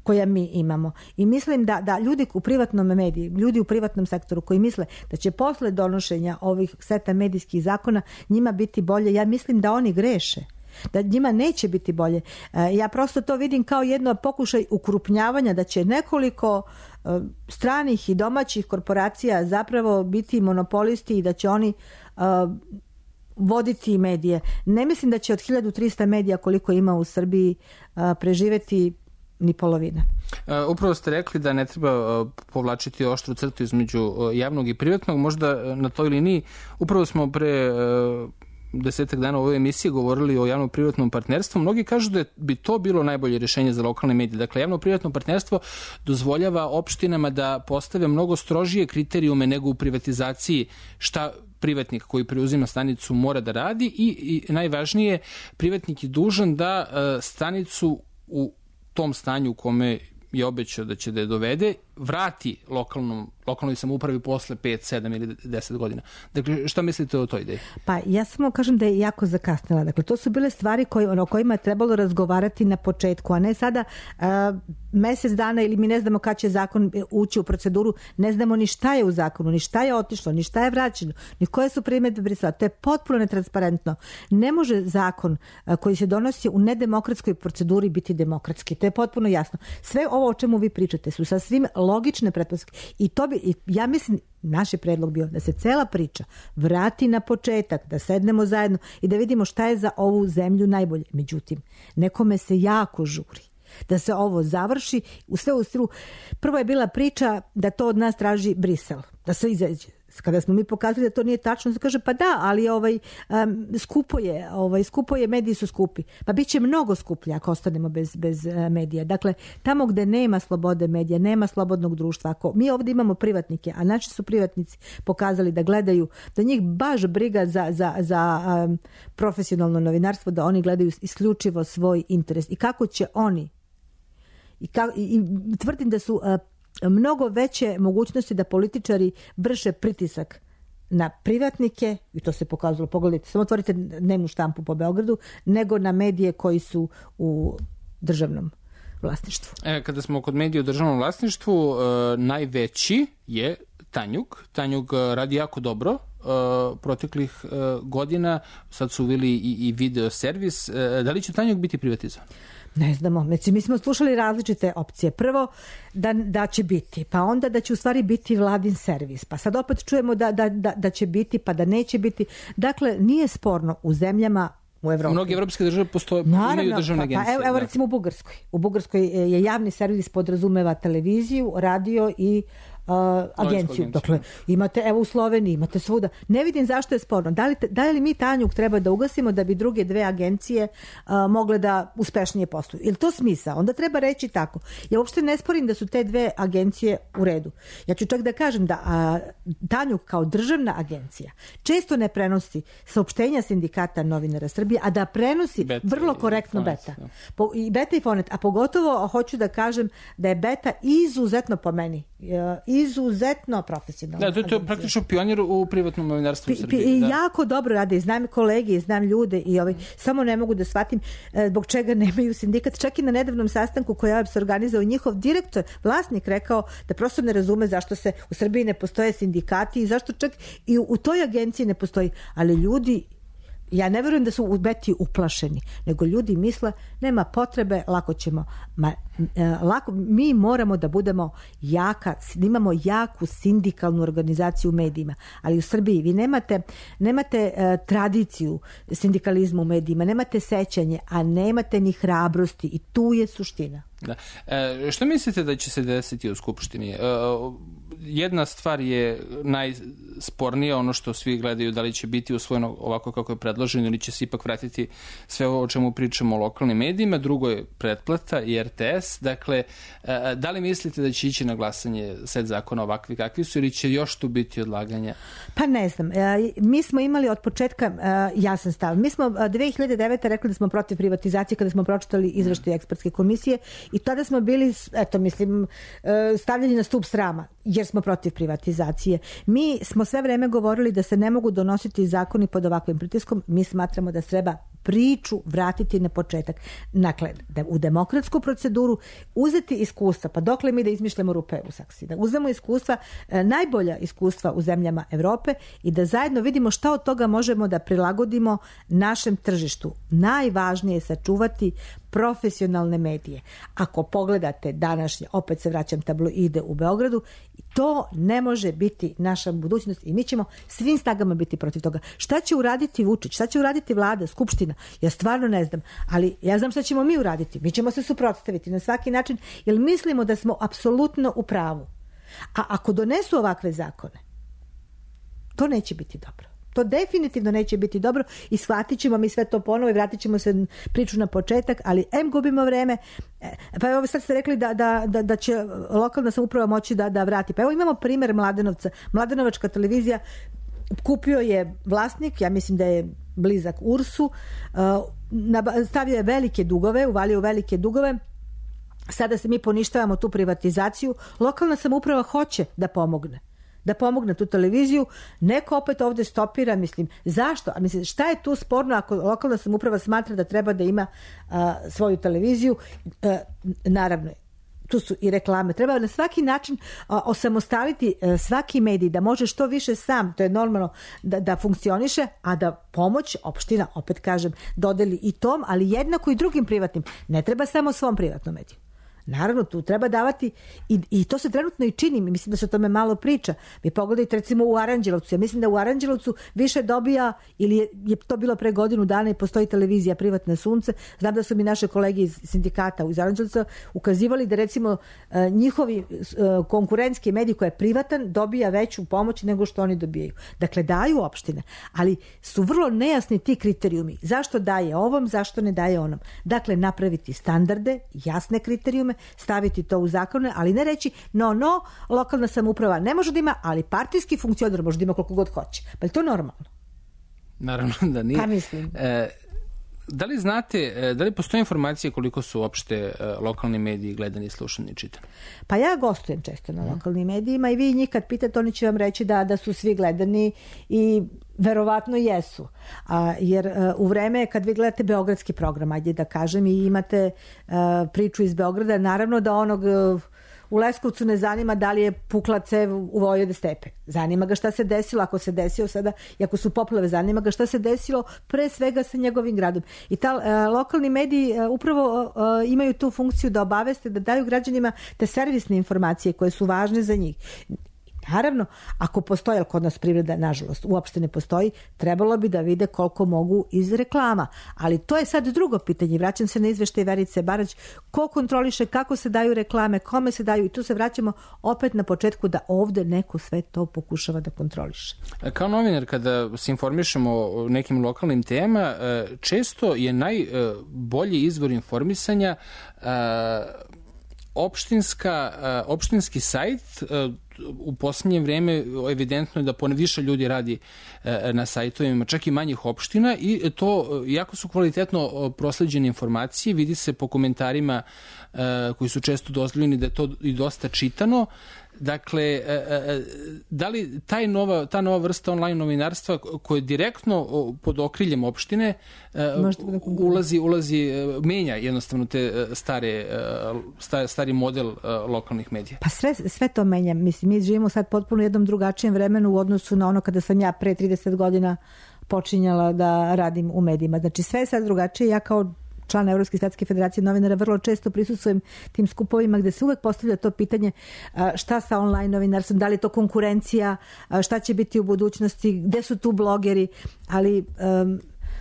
koja mi imamo. I mislim da, da ljudi u privatnom mediji, ljudi u privatnom sektoru koji misle da će posle donošenja ovih seta medijskih zakona njima biti bolje, ja mislim da oni greše. Da njima neće biti bolje. Ja prosto to vidim kao jedno pokušaj ukrupnjavanja, da će nekoliko stranih i domaćih korporacija zapravo biti monopolisti i da će oni voditi medije. Ne mislim da će od hiljadu trista medija koliko ima u Srbiji preživeti ni polovina. Uh, upravo ste rekli da ne treba uh, povlačiti oštru crtu između uh, javnog i privatnog. Možda uh, na toj liniji, upravo smo pre uh, desetak dana u ovoj emisiji govorili o javno-privatnom partnerstvu. Mnogi kažu da bi to bilo najbolje rješenje za lokalne medije. Dakle, javno-privatno partnerstvo dozvoljava opštinama da postave mnogo strožije kriterijume nego u privatizaciji šta privatnik koji preuzima stanicu mora da radi i, i najvažnije, privatnik je dužan da uh, stanicu u tom stanju u kome je obećao da će da je dovede, vrati lokalnom, lokalnoj samoupravi posle pet, sedam ili deset godina. Dakle, šta mislite o toj ideji? Pa ja samo kažem da je jako zakasnila. Dakle, to su bile stvari koje, ono, o kojima je trebalo razgovarati na početku, a ne sada uh, mesec dana ili mi ne znamo kad će zakon ući u proceduru, ne znamo ni šta je u zakonu, ni šta je otišlo, ni šta je vraćeno, ni koje su primedbe Brisela. To je potpuno netransparentno. Ne može zakon uh, koji se donosi u nedemokratskoj proceduri biti demokratski. To je potpuno jasno. Sve ovo o čemu vi pričate su sasvim logične pretpostavke. I to bi, ja mislim, naš je predlog bio da se cela priča vrati na početak, da sednemo zajedno i da vidimo šta je za ovu zemlju najbolje. Međutim, nekome se jako žuri da se ovo završi u sve u stilu. Prvo je bila priča da to od nas traži Brisel, da se izađe. Kada smo mi pokazali da to nije tačno, se kaže pa da, ali ovaj um, skupo je, ovaj skupo je, mediji su skupi. Pa biće mnogo skuplje ako ostanemo bez bez uh, medija. Dakle, tamo gde nema slobode medija, nema slobodnog društva. Ako mi ovdje imamo privatnike, a naši su privatnici pokazali da gledaju, da njih baš briga za za za um, profesionalno novinarstvo, da oni gledaju isključivo svoj interes i kako će oni i, ka, i, i tvrdim da su uh, mnogo veće mogućnosti da političari vrše pritisak na privatnike, i to se pokazalo, pogledajte, samo otvorite dnevnu štampu po Beogradu, nego na medije koji su u državnom vlasništvu. E, kada smo kod medija u državnom vlasništvu, e, najveći je Tanjug. Tanjug radi jako dobro e, proteklih e, godina, sad su uveli i, i video servis. E, da li će Tanjug biti privatizovan? Ne znamo, znači, mi smo slušali različite opcije. Prvo da, da će biti, pa onda da će u stvari biti vladin servis, pa sad opet čujemo da, da, da, da će biti, pa da neće biti. Dakle, nije sporno u zemljama u Evropi. U mnogi evropske države postoje, imaju državne agencije. Pa, evo, evo recimo u Bugarskoj. U Bugarskoj je javni servis podrazumeva televiziju, radio i uh, agenciju. Dakle, imate, evo u Sloveniji, imate svuda. Ne vidim zašto je sporno. Da li, da li mi Tanjug treba da ugasimo da bi druge dve agencije uh, mogle da uspešnije posluju? Je li to smisao? Onda treba reći tako. Ja uopšte ne sporim da su te dve agencije u redu. Ja ću čak da kažem da a, Tanjug kao državna agencija često ne prenosi saopštenja Sindikata novinara Srbije, a da prenosi beta vrlo korektno i Beta. Po, I Beta i Fonet. A pogotovo hoću da kažem da je Beta izuzetno po meni, izuzetno profesionalna. Da, to je praktično pionir u privatnom novinarstvu u Srbiji. I da. jako dobro rade. Znam kolege, znam ljude i ovaj, samo ne mogu da shvatim zbog čega nemaju sindikat. Čak i na nedavnom sastanku koji je se organizao njihov direktor, vlasnik rekao da prosto ne razume zašto se u Srbiji ne postoje sindikati i zašto čak i u, u toj agenciji ne postoji. Ali ljudi, ja ne verujem da su u Beti uplašeni, nego ljudi misle nema potrebe, lako ćemo. Ma, e, lako, mi moramo da budemo jaka, da imamo jaku sindikalnu organizaciju u medijima, ali u Srbiji vi nemate, nemate e, tradiciju sindikalizma u medijima, nemate sećanje, a nemate ni hrabrosti i tu je suština. Da. E, što mislite da će se desiti u Skupštini? E, jedna stvar je najspornija, ono što svi gledaju, da li će biti usvojeno ovako kako je predloženo ili će se ipak vratiti sve ovo o čemu pričamo o lokalnim medijima. Drugo je pretplata i er te es. Dakle, e, da li mislite da će ići na glasanje set zakona ovakvi kakvi su ili će još tu biti odlaganja? Pa ne znam. E, mi smo imali od početka e, jasan stav. Mi smo dve hiljade devete. rekli da smo protiv privatizacije kada smo pročitali izveštaj ekspertske komisije. I tada smo bili, eto mislim, stavljeni na stup srama, jer smo protiv privatizacije. Mi smo sve vreme govorili da se ne mogu donositi zakoni pod ovakvim pritiskom. Mi smatramo da treba priču vratiti na početak. Dakle, da u demokratsku proceduru uzeti iskustva, pa dokle mi da izmišljamo rupe u saksiji, da uzmemo iskustva, najbolja iskustva u zemljama Evrope i da zajedno vidimo šta od toga možemo da prilagodimo našem tržištu. Najvažnije je sačuvati profesionalne medije. Ako pogledate današnje, opet se vraćam, tabloide u Beogradu, to ne može biti naša budućnost i mi ćemo svim snagama biti protiv toga. Šta će uraditi Vučić? Šta će uraditi vlada, skupština? Ja stvarno ne znam, ali ja znam šta ćemo mi uraditi. Mi ćemo se suprotstaviti na svaki način, jer mislimo da smo apsolutno u pravu. A ako donesu ovakve zakone, to neće biti dobro. To definitivno neće biti dobro i shvatit ćemo mi sve to ponovo i vratit ćemo se priču na početak, ali em gubimo vreme. Pa evo sad ste rekli da, da, da, da će lokalna samouprava moći da, da vrati. Pa evo imamo primjer Mladenovca. Mladenovačka televizija kupio je vlasnik, ja mislim da je blizak Ursu, stavio je velike dugove, uvalio velike dugove. Sada se mi poništavamo tu privatizaciju. Lokalna samouprava hoće da pomogne. da pomogne tu televiziju, neko opet ovdje stopira, mislim, zašto? A mislim, šta je tu sporno ako lokalna samouprava smatra da treba da ima a, svoju televiziju? A, naravno, tu su i reklame. Treba na svaki način a, osamostaliti a, svaki medij, da može što više sam, to je normalno, da, da funkcioniše, a da pomoć opština, opet kažem, dodeli i tom, ali jednako i drugim privatnim. Ne treba samo svom privatnom mediju. Naravno, tu treba davati i, i to se trenutno i čini. Mislim da se o tome malo priča. Vi pogledajte recimo u Aranđelovcu. Ja mislim da u Aranđelovcu više dobija, ili je, je to bilo pre godinu dana i postoji televizija Privatne sunce. Znam da su mi naše kolege iz sindikata iz Aranđelovca ukazivali da recimo njihovi konkurentski medij koji je privatan dobija veću pomoć nego što oni dobijaju. Dakle, daju opštine, ali su vrlo nejasni ti kriterijumi. Zašto daje ovom, zašto ne daje onom. Dakle, napraviti standarde, jasne kriterijume, staviti to u zakone, ali ne reći no, no, lokalna samouprava ne može da ima, ali partijski funkcioner može da ima koliko god hoće. Pa je to normalno? Naravno da nije. Pa mislim. E, da li znate, da li postoje informacije koliko su uopšte lokalni mediji gledani, slušani i čitani? Pa ja gostujem često na lokalnim medijima i vi njih kad pitate, oni će vam reći da, da su svi gledani i verovatno jesu. A, jer a, u vreme kad vi gledate beogradski program, ajde da kažem, i imate a, priču iz Beograda, naravno da onog a, u Leskovcu ne zanima da li je pukla cev u Vojvode stepe. Zanima ga šta se desilo, ako se desio sada, i ako su poplave, zanima ga šta se desilo pre svega sa njegovim gradom. I ta a, lokalni mediji a, upravo a, imaju tu funkciju da obaveste, da daju građanima te servisne informacije koje su važne za njih. Naravno, ako postoji, ali kod nas privreda, nažalost, uopšte ne postoji, trebalo bi da vide koliko mogu iz reklama. Ali to je sad drugo pitanje. Vraćam se na izveštaj Verice Barać. Ko kontroliše, kako se daju reklame, kome se daju, i tu se vraćamo opet na početku da ovde neko sve to pokušava da kontroliše. Kao novinar, kada se informišemo o nekim lokalnim temama, često je najbolji izvor informisanja opštinska, opštinski sajt. U posljednje vreme evidentno je da pone više ljudi radi na sajtovima, čak i manjih opština, i to jako su kvalitetno prosleđene informacije, vidi se po komentarima koji su često dozvoljeni da je to i dosta čitano. Dakle, da li taj nova, ta nova vrsta online novinarstva koje direktno pod okriljem opštine ulazi, ulazi, menja jednostavno te stare, stari model lokalnih medija? Pa sve, sve to menja. Mislim, mi živimo sad potpuno u jednom drugačijem vremenu u odnosu na ono kada sam ja pre trideset godina počinjala da radim u medijima. Znači, sve je sad drugačije. Ja kao član Evropske statske federacije novinara vrlo često prisustvujem tim skupovima gde se uvek postavlja to pitanje šta sa online novinarstvom, da li je to konkurencija, šta će biti u budućnosti, gde su tu blogeri, ali um,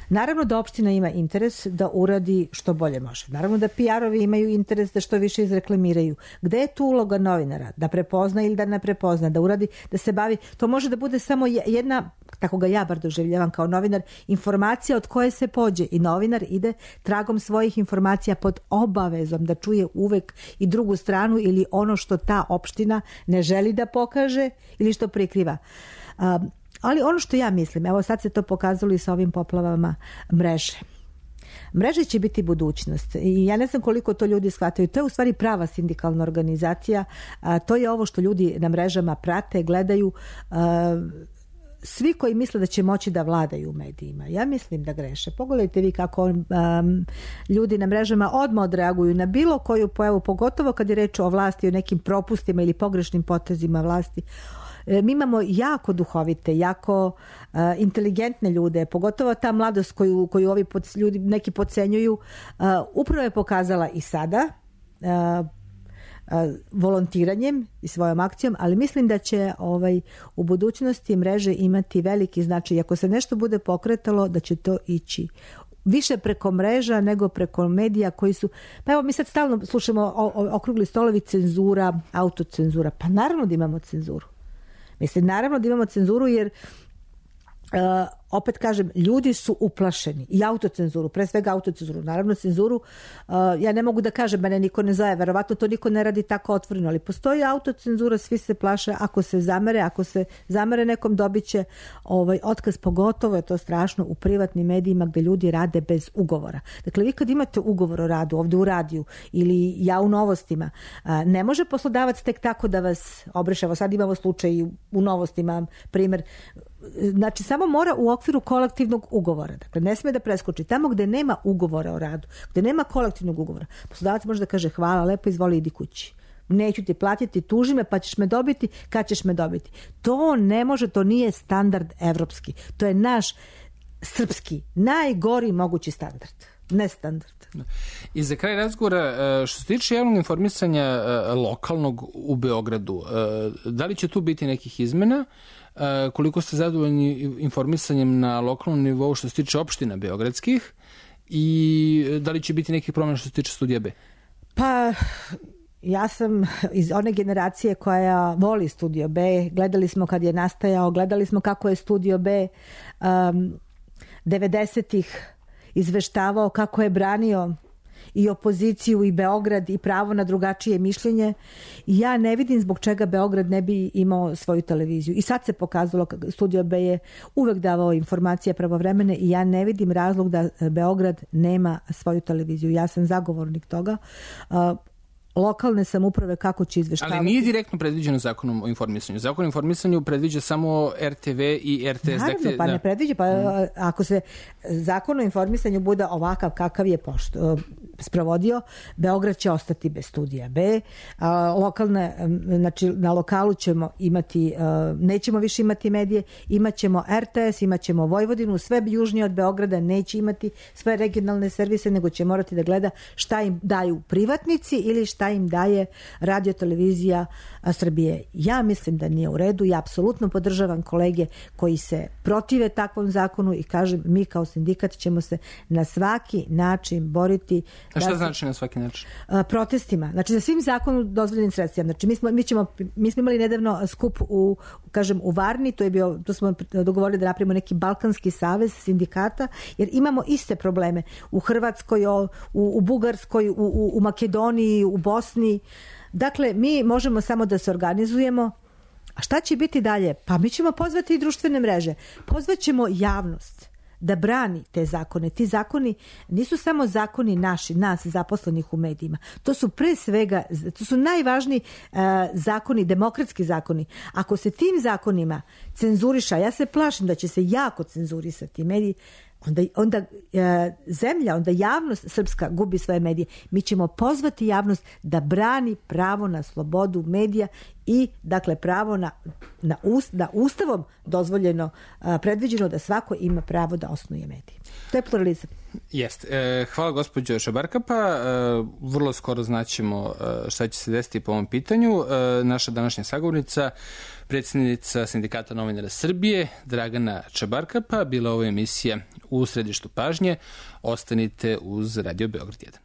naravno da opština ima interes da uradi što bolje može. Naravno da P R-ovi imaju interes da što više izreklamiraju. Gde je tu uloga novinara? Da prepozna ili da ne prepozna, da uradi, da se bavi. To može da bude samo jedna, tako ga ja bar doživljavam kao novinar, informacija od koje se pođe, i novinar ide tragom svojih informacija pod obavezom da čuje uvek i drugu stranu ili ono što ta opština ne želi da pokaže ili što prikriva. Um, Ali ono što ja mislim, evo sad se to pokazalo i sa ovim poplavama mreže. Mreže će biti budućnost i ja ne znam koliko to ljudi shvataju. To je u stvari prava sindikalna organizacija. A, to je ovo što ljudi na mrežama prate, gledaju. A, svi koji misle da će moći da vladaju u medijima, ja mislim da greše. Pogledajte vi kako um, ljudi na mrežama odmah odreaguju na bilo koju pojavu, pogotovo kad je reč o vlasti, o nekim propustima ili pogrešnim potezima vlasti. Mi imamo jako duhovite, jako uh, inteligentne ljude, pogotovo ta mladost koju, koju ovi pod, ljudi neki podcenjuju, uh, upravo je pokazala i sada uh, uh, volontiranjem i svojom akcijom, ali mislim da će ovaj, u budućnosti mreže imati veliki značaj. Ako se nešto bude pokretalo, da će to ići više preko mreža nego preko medija koji su... Pa evo, mi sad stalno slušamo o, o, okrugli stolovi, cenzura, autocenzura. Pa naravno da imamo cenzuru. Mislim, naravno da imamo cenzuru jer uh, opet kažem, ljudi su uplašeni i autocenzuru, pre svega autocenzuru, naravno cenzuru, uh, ja ne mogu da kažem, mene niko ne zove, verovatno to niko ne radi tako otvoreno, ali postoji autocenzura, svi se plaše, ako se zamere, ako se zamere nekom dobit će ovaj, otkaz, pogotovo je to strašno u privatnim medijima gde ljudi rade bez ugovora. Dakle, vi kad imate ugovor o radu ovde u radiju ili ja u novostima, uh, ne može poslodavac tek tako da vas obriše. Evo sad imamo slučaj u novostima, primer, znači samo mora u okviru kolektivnog ugovora. Dakle, ne sme da preskoči. Tamo gde nema ugovora o radu, gde nema kolektivnog ugovora, poslodavac može da kaže hvala, lepo, izvoli, idi kući. Neću ti platiti, tuži me, pa ćeš me dobiti, kad ćeš me dobiti. To ne može, to nije standard evropski. To je naš srpski, najgori mogući standard. Ne standard. I za kraj razgovora, što se tiče javnog informisanja lokalnog u Beogradu, da li će tu biti nekih izmena? Koliko ste zadovoljni informisanjem na lokalnom nivou što se tiče opština beogradskih i da li će biti nekih promjena što se tiče Studija B? Pa ja sam iz one generacije koja voli Studio B. Gledali smo kad je nastajao, gledali smo kako je Studio B um, devedesetih izveštavao, kako je branio i opoziciju i Beograd i pravo na drugačije mišljenje. I ja ne vidim zbog čega Beograd ne bi imao svoju televiziju. I sad se pokazalo, Studio B je uvek davao informacije pravovremene i ja ne vidim razlog da Beograd nema svoju televiziju. Ja sam zagovornik toga. Uh, lokalne samouprave kako će izveštavati. Ali nije direktno predviđeno zakonom o informisanju. Zakon o informisanju predviđa samo R T V i R T S. Naravno, dakle, pa ne predviđa. Pa, mm. Ako se zakon o informisanju bude ovakav kakav je pošto, sprovodio. Beograd će ostati bez studija B. A, lokalne, znači na lokalu ćemo imati, a, nećemo više imati medije, imat ćemo R T S, imat ćemo Vojvodinu, sve južnije od Beograda neće imati sve regionalne servise, nego će morati da gleda šta im daju privatnici ili šta im daje radio televizija Srbije. Ja mislim da nije u redu, ja apsolutno podržavam kolege koji se protive takvom zakonu i kažem, mi kao sindikat ćemo se na svaki način boriti. A šta znači na svaki način? Protestima. Znači za svim zakonom dozvoljenim sredstvima. Znači mi smo, mi ćemo, mi smo imali nedavno skup u, kažem, u Varni, to je bio, to smo dogovorili da napravimo neki Balkanski savez sindikata, jer imamo iste probleme u Hrvatskoj, u, u Bugarskoj, u, u, u Makedoniji, u Bosni. Dakle, mi možemo samo da se organizujemo. A šta će biti dalje? Pa mi ćemo pozvati i društvene mreže. Pozvaćemo javnost da brani te zakone. Ti zakoni nisu samo zakoni naši, nas zaposlenih u medijima. To su pre svega, to su najvažniji uh, zakoni, demokratski zakoni. Ako se tim zakonima cenzuriša, ja se plašim da će se jako cenzurisati mediji, onda, onda e, zemlja, onda javnost srpska gubi svoje medije. Mi ćemo pozvati javnost da brani pravo na slobodu medija i dakle pravo na, na, ust, na ustavom dozvoljeno, a, predviđeno da svako ima pravo da osnuje medije. To je pluralizam. Jeste. E, hvala gospođo Čabarkapa. E, vrlo skoro znaćemo e, šta će se desiti po ovom pitanju. E, naša današnja sagovornica, predsjednica Sindikata novinara Srbije, Dragana Čabarkapa, bila ovo emisija U središtu pažnje. Ostanite uz Radio Beograd jedan.